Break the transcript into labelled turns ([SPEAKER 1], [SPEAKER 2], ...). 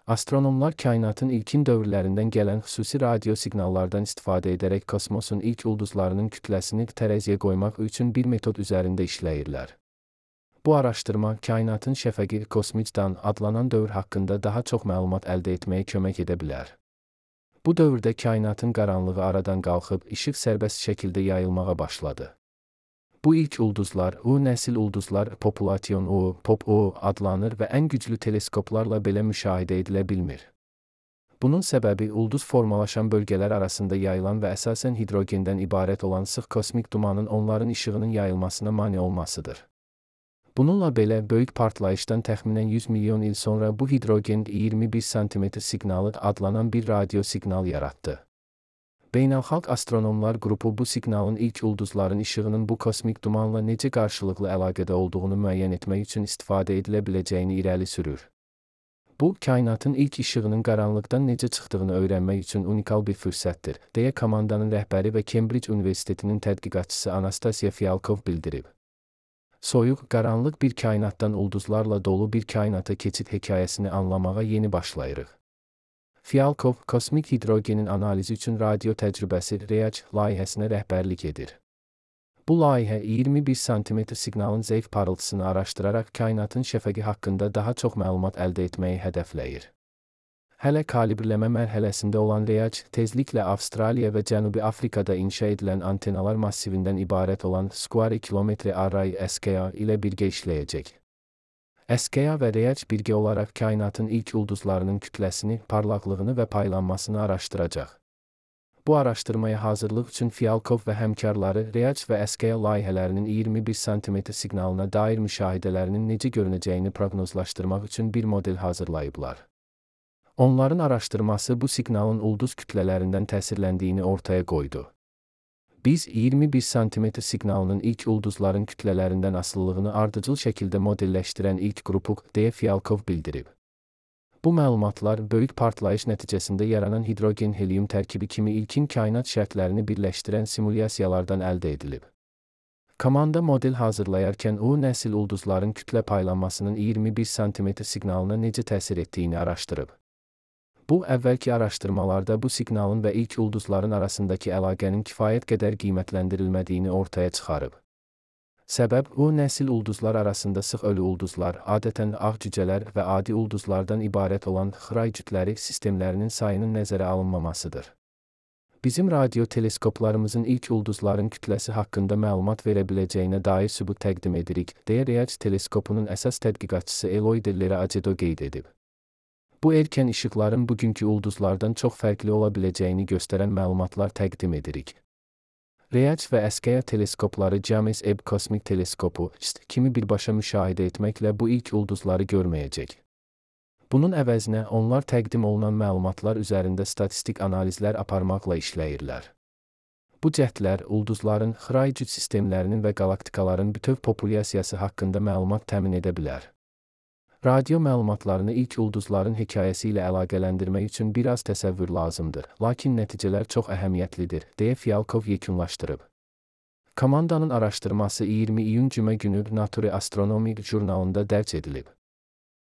[SPEAKER 1] Astronomlar kainatın ilkin dövrlərindən gələn xüsusi radio siqnallardan istifadə edərək kosmosun ilk ulduzlarının kütləsini tərəziyə qoymaq üçün bir metod üzərində işləyirlər. Bu araşdırma, kainatın şəfəqi kosmikdan adlanan dövr haqqında daha çox məlumat əldə etməyə kömək edə bilər. Bu dövrdə kainatın qaranlığı aradan qalxıb, işıq sərbəst şəkildə yayılmağa başladı. Bu ilk ulduzlar, O nəsil ulduzlar Population O, Pop O adlanır və ən güclü teleskoplarla belə müşahidə edilə bilmir. Bunun səbəbi ulduz formalaşan bölgələr arasında yayılan və əsasən hidrogendən ibarət olan sıx kosmik dumanın onların işığının yayılmasına mane olmasıdır. Bununla belə, böyük partlayışdan təxminən 100 milyon il sonra bu hidrogen 21 sm siqnalı adlanan bir radio siqnal yaratdı. Beynəlxalq Astronomlar qrupu bu siqnalın ilk ulduzların işığının bu kosmik dumanla necə qarşılıqlı əlaqədə olduğunu müəyyən etmək üçün istifadə edilə biləcəyini irəli sürür. Bu, kainatın ilk işığının qaranlıqdan necə çıxdığını öyrənmək üçün unikal bir fürsətdir, deyə komandanın rəhbəri və Cambridge Universitetinin tədqiqatçısı Anastasia Fialkov bildirib. Soyuq, qaranlıq bir kainatdan ulduzlarla dolu bir kainata keçid hekayəsini anlamağa yeni başlayırıq. Fialkov, kosmik hidrogenin analizi üçün radio təcrübəsi REACH layihəsinə rəhbərlik edir. Bu layihə 21 sm siqnalın zəif parıltısını araşdıraraq kainatın şəfəqi haqqında daha çox məlumat əldə etməyi hədəfləyir. Hələ kalibrləmə mərhələsində olan REACH, tezliklə Avstraliya və Cənubi Afrikada inşa edilən antenalar massivindən ibarət olan Square Kilometre Array SKA ilə birgə işləyəcək. SKA və REACH birgə olaraq kainatın ilk ulduzlarının kütləsini, parlaqlığını və paylanmasını araşdıracaq. Bu araşdırmaya hazırlıq üçün Fialkov və həmkarları REACH və SKA layihələrinin 21 sm siqnalına dair müşahidələrinin necə görünəcəyini proqnozlaşdırmaq üçün bir model hazırlayıblar. Onların araşdırması bu siqnalın ulduz kütlələrindən təsirləndiyini ortaya qoydu. Biz 21 sm siqnalının ilk ulduzların kütlələrindən asılılığını ardıcıl şəkildə modelləşdirən ilk qrupuq, deyə Fialkov bildirib. Bu məlumatlar, böyük partlayış nəticəsində yaranan hidrogen-helium tərkibi kimi ilkin kainat şərtlərini birləşdirən simulyasiyalardan əldə edilib. Komanda model hazırlayarkən O nəsil ulduzların kütlə paylanmasının 21 sm siqnalına necə təsir etdiyini araşdırıb. Bu, əvvəlki araşdırmalarda bu siqnalın və ilk ulduzların arasındakı əlaqənin kifayət qədər qiymətləndirilmədiyini ortaya çıxarıb. Səbəb, O nəsil ulduzlar arasında sıx ölü ulduzlar, adətən ağ cücələr və adi ulduzlardan ibarət olan Xray cütləri sistemlərinin sayının nəzərə alınmamasıdır. Bizim radio teleskoplarımızın ilk ulduzların kütləsi haqqında məlumat verə biləcəyinə dair sübut təqdim edirik, deyə REACH teleskopunun əsas tədqiqatçısı Eloy de Lera Acedo qeyd edib. Bu erkən işıqların bugünkü ulduzlardan çox fərqli ola biləcəyini göstərən məlumatlar təqdim edirik. REACH və SKA teleskopları James Webb Kosmik Teleskopu kimi birbaşa müşahidə etməklə bu ilk ulduzları görməyəcək. Bunun əvəzinə onlar təqdim olunan məlumatlar üzərində statistik analizlər aparmaqla işləyirlər. Bu cəhdlər ulduzların, Xray cüt sistemlərinin və qalaktikaların bütöv populyasiyası haqqında məlumat təmin edə bilər. Radio məlumatlarını ilk ulduzların hekayəsi ilə əlaqələndirmək üçün biraz təsəvvür lazımdır, lakin nəticələr çox əhəmiyyətlidir, deyə Fialkov yekunlaşdırıb. Komandanın araşdırması 20 iyun cümə günü Nature Astronomy jurnalında dərc edilib.